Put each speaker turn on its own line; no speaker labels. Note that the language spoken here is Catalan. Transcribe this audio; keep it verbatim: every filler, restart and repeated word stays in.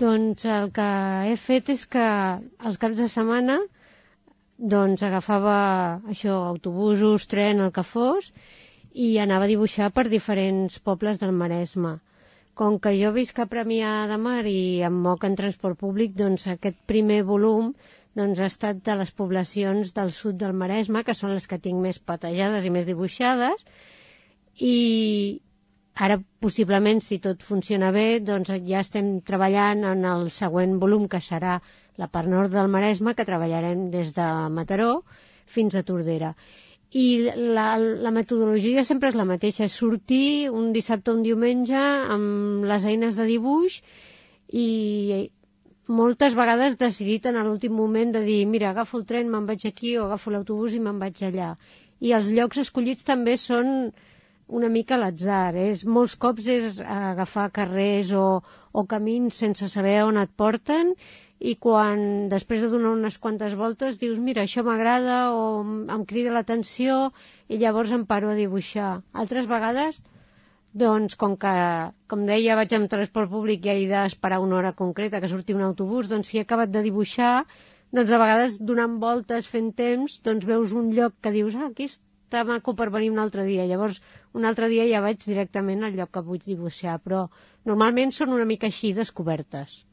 Doncs el que he fet és que els caps de setmana doncs agafava això, autobusos, tren, el que fos, i anava a dibuixar per diferents pobles del Maresme. Com que jo visc a Premià de Mar i em moc en transport públic, doncs aquest primer volum doncs, ha estat de les poblacions del sud del Maresme, que són les que tinc més patejades i més dibuixades, i ara, possiblement, si tot funciona bé, doncs ja estem treballant en el següent volum, que serà la part nord del Maresme, que treballarem des de Mataró fins a Tordera. I la, la metodologia sempre és la mateixa, és sortir un dissabte o un diumenge amb les eines de dibuix i moltes vegades decidit en l'últim moment de dir, mira, agafo el tren, me'n vaig aquí, o agafo l'autobús i me'n vaig allà. I els llocs escollits també són una mica a l'atzar. És, molts cops és agafar carrers o, o camins sense saber on et porten, i quan després de donar unes quantes voltes dius, mira, això m'agrada o em crida l'atenció, i llavors em paro a dibuixar. Altres vegades, doncs, com que, com deia, vaig amb transport públic i he d'esperar una hora concreta que surti un autobús, doncs si he acabat de dibuixar, doncs a vegades donant voltes, fent temps, doncs veus un lloc que dius, ah, aquí està maco per venir un altre dia. Llavors, un altre dia ja vaig directament al lloc que vull dibuixar, però normalment són una mica així descobertes.